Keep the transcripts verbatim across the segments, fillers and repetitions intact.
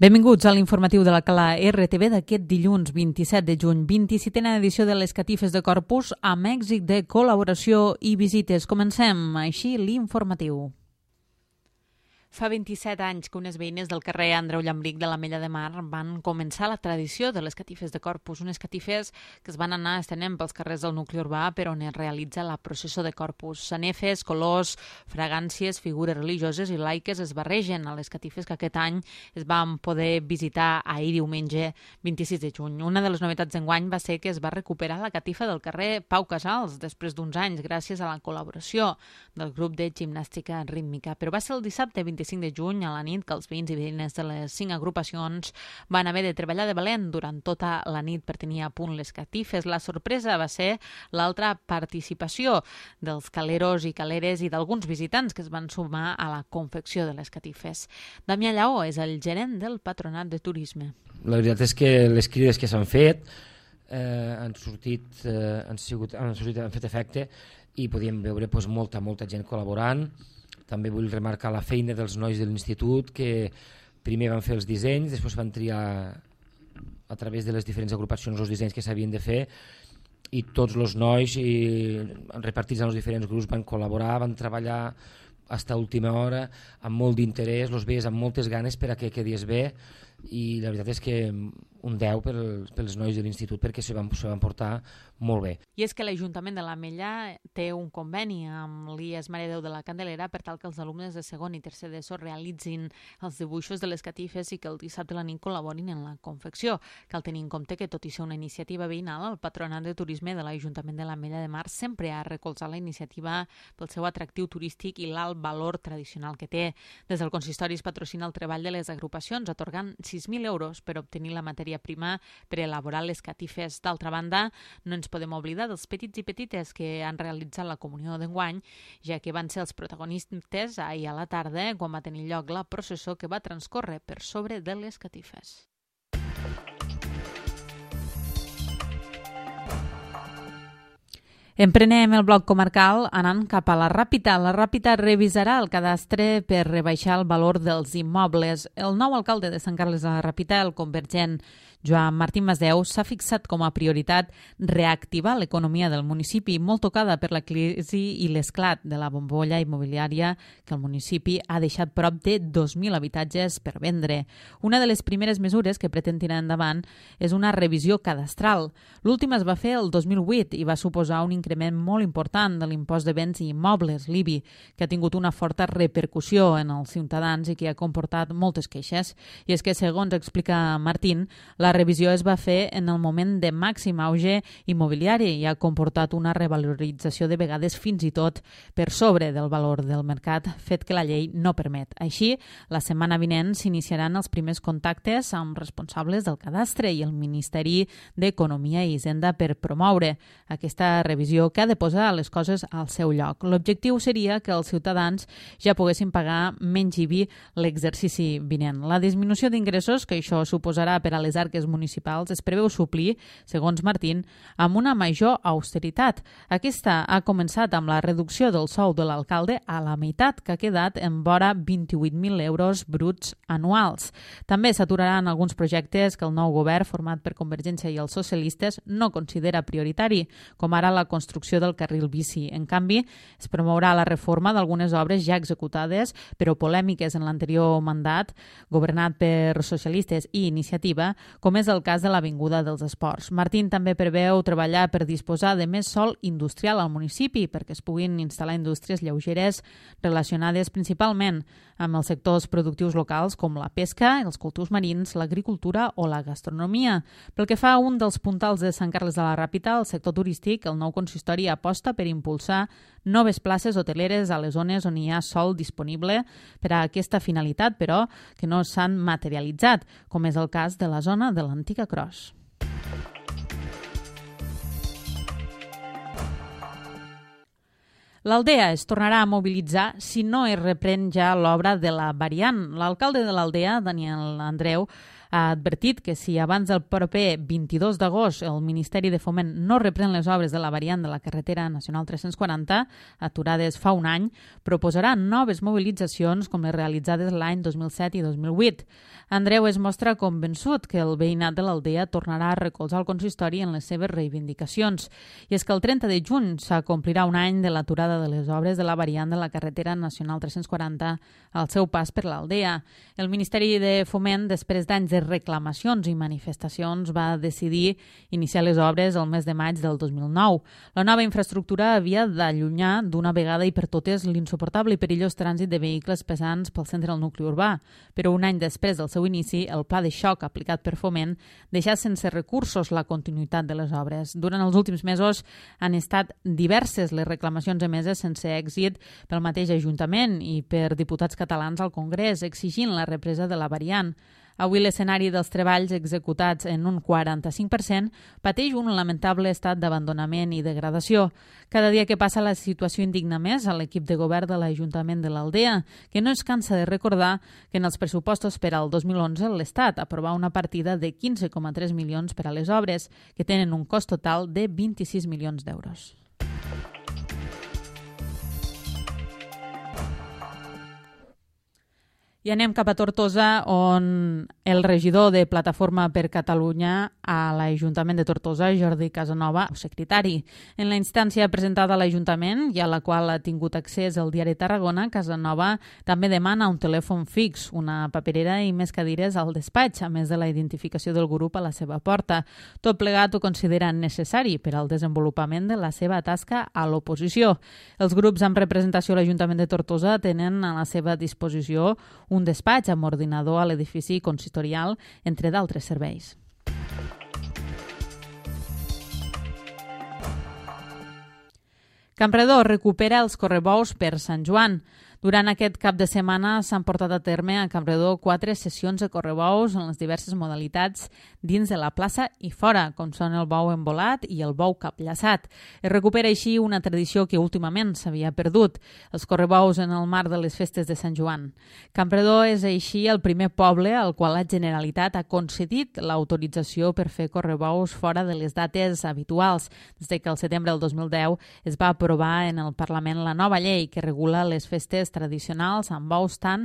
Benvinguts a l'informatiu de la Cala R T V d'aquest dilluns vint-i-set de juny, vint-i-setena edició de les catifes de Corpus amb èxit de col·laboració i visites. Comencem així l'informatiu. Fa vint-i-set anys que unes veïnes del carrer Andreu Llambric de l'Ametlla de Mar van començar la tradició de les catifes de Corpus, unes catifes que es van anar estenent pels carrers del nucli urbà per on es realitza la processó de Corpus. Sanefes, colors, fragàncies, figures religioses i laiques es barregen a les catifes que aquest any es van poder visitar ahir diumenge vint-i-sis de juny. Una de les novetats d'enguany va ser que es va recuperar la catifa del carrer Pau Casals després d'uns anys gràcies a la col·laboració del grup de gimnàstica rítmica. Però va ser el dissabte vint-i-cinc de juny a la nit que els veïns i veïnes de les cinc agrupacions van haver de treballar de valent durant tota la nit per tenir a punt les catifes. La sorpresa va ser l'altra participació dels caleros i caleres i d'alguns visitants que es van sumar a la confecció de les catifes. Damià Lleó és el gerent del Patronat de Turisme. La veritat és que les crides que s'han fet eh, han sortit, eh, han, sigut, han, sortit, han fet efecte i podíem veure pues, molta, molta gent col·laborant. També vull remarcar la feina dels nois de l'institut que primer van fer els dissenys, després van triar a través de les diferents agrupacions els dissenys que s'havien de fer i tots els nois i, repartits en els diferents grups van col·laborar, van treballar fins a última hora amb molt d'interès, els veies amb moltes ganes per a que quedés bé i la veritat és que un deu pels, pels nois de l'institut perquè se van, se van portar molt bé. I és que l'Ajuntament de l'Ametlla té un conveni amb l'I E S Mare de Déu de la Candelera per tal que els alumnes de segon i tercer d'ESO realitzin els dibuixos de les catifes i que el dissabte a la nit col·laborin en la confecció. Cal tenir en compte que, tot i ser una iniciativa veïnal, el Patronat de Turisme de l'Ajuntament de l'Ametlla de Mar sempre ha recolzat la iniciativa pel seu atractiu turístic i l'alt valor tradicional que té. Des del consistori es patrocina el treball de les agrupacions, atorgant sis mil euros per obtenir la matèria prima per elaborar les catifes. D'altra banda, no ens podem oblidar dels petits i petites que han realitzat la comunió d'enguany, ja que van ser els protagonistes ahir a la tarda quan va tenir lloc la processó que va transcórrer per sobre de les catifes. Emprenem el bloc comarcal anant cap a la Ràpita. La Ràpita revisarà el cadastre per rebaixar el valor dels immobles. El nou alcalde de Sant Carles de la Ràpita, el convergent Joan Martín Masdeu, s'ha fixat com a prioritat reactivar l'economia del municipi, molt tocada per la crisi i l'esclat de la bombolla immobiliària que el municipi ha deixat prop de dos mil habitatges per vendre. Una de les primeres mesures que pretén tirar endavant és una revisió cadastral. L'última es va fer el dos mil vuit i va suposar un increment molt important de l'impost de béns i immobles, l'I B I, que ha tingut una forta repercussió en els ciutadans i que ha comportat moltes queixes. I és que, segons explica Martín, la La revisió es va fer en el moment de màxim auge immobiliari i ha comportat una revalorització de vegades fins i tot per sobre del valor del mercat, fet que la llei no permet. Així, la setmana vinent s'iniciaran els primers contactes amb responsables del cadastre i el Ministeri d'Economia i Hisenda per promoure aquesta revisió que ha de posar les coses al seu lloc. L'objectiu seria que els ciutadans ja poguessin pagar menys I B I l'exercici vinent. La disminució d'ingressos que això suposarà per a les arques municipals es preveu suplir, segons Martín, amb una major austeritat. Aquesta ha començat amb la reducció del sou de l'alcalde a la meitat, que ha quedat en vora vint-i-vuit mil euros bruts anuals. També s'aturaran alguns projectes que el nou govern, format per Convergència i els socialistes, no considera prioritari, com ara la construcció del carril bici. En canvi, es promourà la reforma d'algunes obres ja executades, però polèmiques en l'anterior mandat, governat per socialistes i iniciativa, com és el cas de l'Avinguda dels Esports. Martín també preveu treballar per disposar de més sòl industrial al municipi perquè es puguin instal·lar indústries lleugeres relacionades principalment amb els sectors productius locals com la pesca, els cultius marins, l'agricultura o la gastronomia. Pel que fa a un dels puntals de Sant Carles de la Ràpita, el sector turístic, el nou consistori aposta per impulsar noves places hoteleres a les zones on hi ha sòl disponible per a aquesta finalitat, però que no s'han materialitzat, com és el cas de la zona de l'antiga Cros. L'Aldea es tornarà a mobilitzar si no es reprèn ja l'obra de la variant. L'alcalde de l'Aldea, Daniel Andreu, Ha advertit que si abans del proper vint-i-dos d'agost el Ministeri de Foment no reprèn les obres de la variant de la carretera nacional tres-cents quaranta, aturades fa un any, proposarà noves mobilitzacions com les realitzades l'any dos mil set i dos mil vuit. Andreu es mostra convençut que el veïnat de l'Aldea tornarà a recolzar el consistori en les seves reivindicacions. I és que el trenta de juny s'acomplirà un any de l'aturada de les obres de la variant de la carretera nacional tres-cents quaranta al seu pas per l'Aldea. El Ministeri de Foment, després d'anys de reclamacions i manifestacions, va decidir iniciar les obres el mes de maig del dos mil nou. La nova infraestructura havia d'allunyar d'una vegada i per totes l'insuportable i perillós trànsit de vehicles pesants pel centre del nucli urbà. Però un any després del seu inici, el pla de xoc aplicat per Foment deixà sense recursos la continuïtat de les obres. Durant els últims mesos han estat diverses les reclamacions emeses sense èxit pel mateix Ajuntament i per diputats catalans al Congrés, exigint la represa de la variant. Avui l'escenari dels treballs executats en un quaranta-cinc per cent pateix un lamentable estat d'abandonament i degradació. Cada dia que passa la situació indigna més a l'equip de govern de l'Ajuntament de l'Aldea, que no es cansa de recordar que en els pressupostos per al dos mil onze l'Estat aprovà una partida de quinze coma tres milions per a les obres, que tenen un cost total de vint-i-sis milions d'euros. I anem cap a Tortosa, on el regidor de Plataforma per Catalunya a l'Ajuntament de Tortosa, Jordi Casanova, secretari. En la instància presentada a l'Ajuntament i a la qual ha tingut accés el diari Tarragona, Casanova també demana un telèfon fix, una paperera i més cadires al despatx, a més de la identificació del grup a la seva porta. Tot plegat ho considera necessari per al desenvolupament de la seva tasca a l'oposició. Els grups amb representació a l'Ajuntament de Tortosa tenen a la seva disposició un despatx amb ordinador a l'edifici consistorial, entre d'altres serveis. Campredó recupera els correbous per Sant Joan. Durant aquest cap de setmana s'han portat a terme a Campredó quatre sessions de correbous en les diverses modalitats dins de la plaça i fora, com són el bou embolat i el bou capllaçat. Es recupera així una tradició que últimament s'havia perdut, els correbous en el marc de les festes de Sant Joan. Campredó és així el primer poble al qual la Generalitat ha concedit l'autorització per fer correbous fora de les dates habituals, des que el setembre del dos mil deu es va aprovar en el Parlament la nova llei que regula les festes tradicionals amb bous tant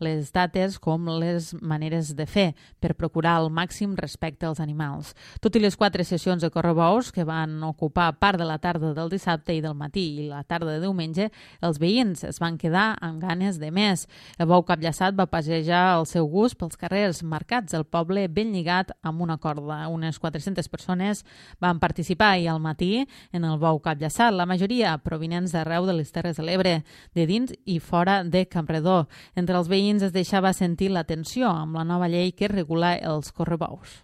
les dates com les maneres de fer per procurar el màxim respecte als animals. Tot i les quatre sessions de correbous que van ocupar part de la tarda del dissabte i del matí i la tarda de diumenge, els veïns es van quedar amb ganes de més. El bou capllaçat va passejar el seu gust pels carrers marcats del poble ben lligat amb una corda. Unes quatre-centes persones van participar i al matí en el bou capllaçat, la majoria provinents d'arreu de les Terres de l'Ebre, de dins i fora de Campredó. Entre els veïns es deixava sentir la tensió amb la nova llei que regula els correbous.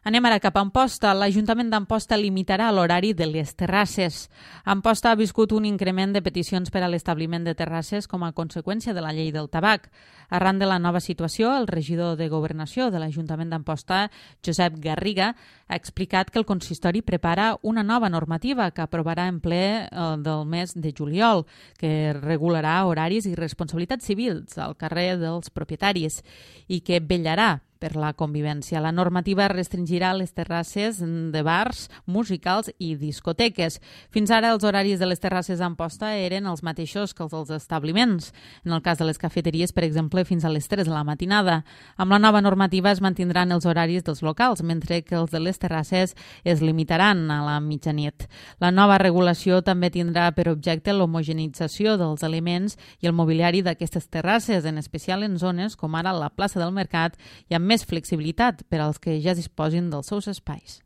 Anem ara cap a Amposta. L'Ajuntament d'Amposta limitarà l'horari de les terrasses. Amposta ha viscut un increment de peticions per a l'establiment de terrasses com a conseqüència de la llei del tabac. Arran de la nova situació, el regidor de Governació de l'Ajuntament d'Amposta, Josep Garriga, ha explicat que el consistori prepara una nova normativa que aprovarà en ple eh, del mes de juliol, que regularà horaris i responsabilitats civils al carrer dels propietaris i que vetllarà per la convivència. La normativa restringirà les terrasses de bars, musicals i discoteques. Fins ara els horaris de les terrasses d'Amposta eren els mateixos que els dels establiments. En el cas de les cafeteries, per exemple, fins a les tres de la matinada. Amb la nova normativa es mantindran els horaris dels locals, mentre que els de les terrasses es limitaran a la mitjanit. La nova regulació també tindrà per objecte l'homogenització dels aliments i el mobiliari d'aquestes terrasses, en especial en zones com ara la plaça del Mercat i amb més flexibilitat per als que ja disposin dels seus espais.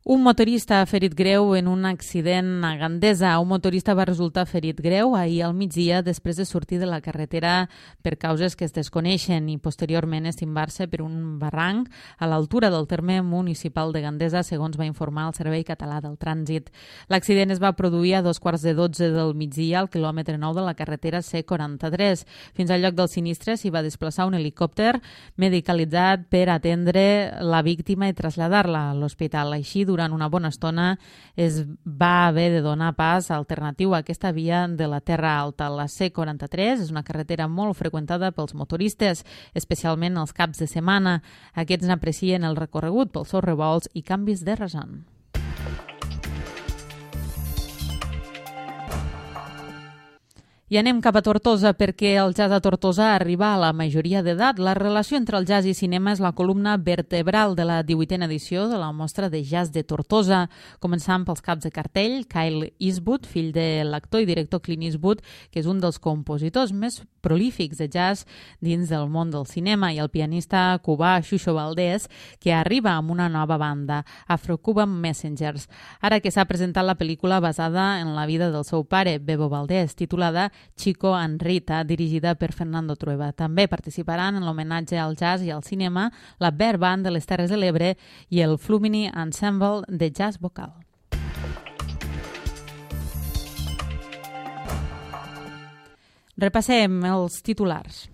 Un motorista ha ferit greu en un accident a Gandesa. Un motorista va resultar ferit greu ahir al migdia després de sortir de la carretera per causes que es desconeixen i posteriorment estimbar-se per un barranc a l'altura del terme municipal de Gandesa, segons va informar el Servei Català del Trànsit. L'accident es va produir a dos quarts de dotze del migdia al quilòmetre nou de la carretera C quaranta-tres. Fins al lloc del sinistre s'hi va desplaçar un helicòpter medicalitzat per atendre la víctima i traslladar-la a l'hospital. Així, durant durant una bona estona es va haver de donar pas alternatiu a aquesta via de la Terra Alta. La C quaranta-tres és una carretera molt freqüentada pels motoristes, especialment els caps de setmana. Aquests n'aprecien el recorregut pels seus revolts i canvis de rasant. I anem cap a Tortosa perquè el jazz a Tortosa arriba a la majoria d'edat. La relació entre el jazz i cinema és la columna vertebral de la divuitena edició de la Mostra de Jazz de Tortosa. Començant pels caps de cartell, Kyle Eastwood, fill de l'actor i director Clint Eastwood, que és un dels compositors més prolífics de jazz dins del món del cinema, i el pianista cubà Xuxo Valdés, que arriba amb una nova banda, Afro-Cuban Messengers. Ara que s'ha presentat la pel·lícula basada en la vida del seu pare, Bebo Valdés, titulada Chico and Rita, dirigida per Fernando Trueba. També participaran en l'homenatge al jazz i al cinema la Bear Band de les Terres de l'Ebre i el Flumini Ensemble de jazz vocal. Repassem els titulars.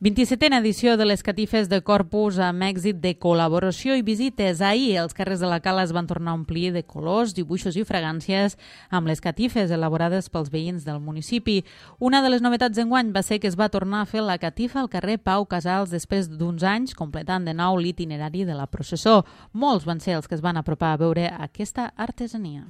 vint-i-setena edició de les catifes de Corpus amb èxit de col·laboració i visites. Ahir els carrers de la Cala es van tornar a omplir de colors, dibuixos i fragàncies amb les catifes elaborades pels veïns del municipi. Una de les novetats d'enguany va ser que es va tornar a fer la catifa al carrer Pau Casals després d'uns anys, completant de nou l'itinerari de la processó. Molts van ser els que es van apropar a veure aquesta artesania.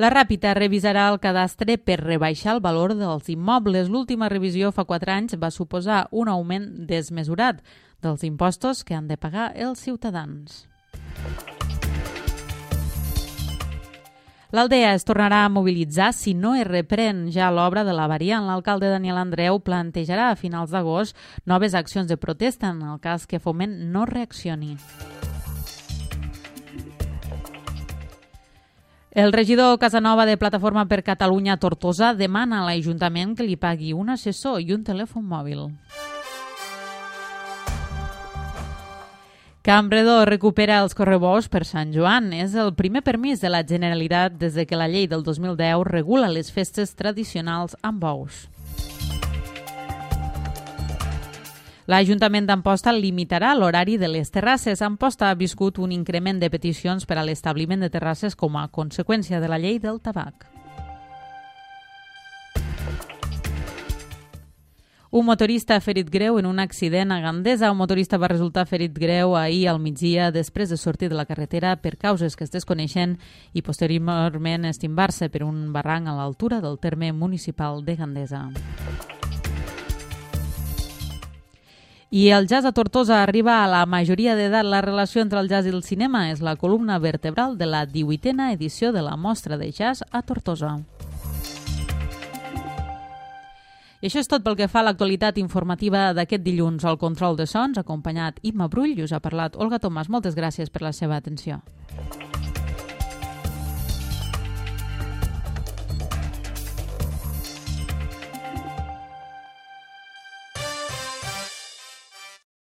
La Ràpita revisarà el cadastre per rebaixar el valor dels immobles. L'última revisió fa quatre anys va suposar un augment desmesurat dels impostos que han de pagar els ciutadans. L'Aldea es tornarà a mobilitzar si no es reprèn ja l'obra de la variant. L'alcalde Daniel Andreu plantejarà a finals d'agost noves accions de protesta en el cas que Foment no reaccioni. El regidor Casanova de Plataforma per Catalunya Tortosa demana a l'Ajuntament que li pagui un assessor i un telèfon mòbil. Campredó recupera els correbous per Sant Joan. És el primer permís de la Generalitat des de que la llei del dos mil deu regula les festes tradicionals amb bous. L'Ajuntament d'Amposta limitarà l'horari de les terrasses. Amposta ha viscut un increment de peticions per a l'establiment de terrasses com a conseqüència de la llei del tabac. Un motorista ha ferit greu en un accident a Gandesa. Un motorista va resultar ferit greu ahir al migdia després de sortir de la carretera per causes que es desconeixen i posteriorment estimbar-se per un barranc a l'altura del terme municipal de Gandesa. I el jazz a Tortosa arriba a la majoria d'edat. La relació entre el jazz i el cinema és la columna vertebral de la divuitena edició de la Mostra de Jazz a Tortosa. I això és tot pel que fa a l'actualitat informativa d'aquest dilluns. Al control de sons, acompanyat Imma Brull, i us ha parlat Olga Tomàs. Moltes gràcies per la seva atenció.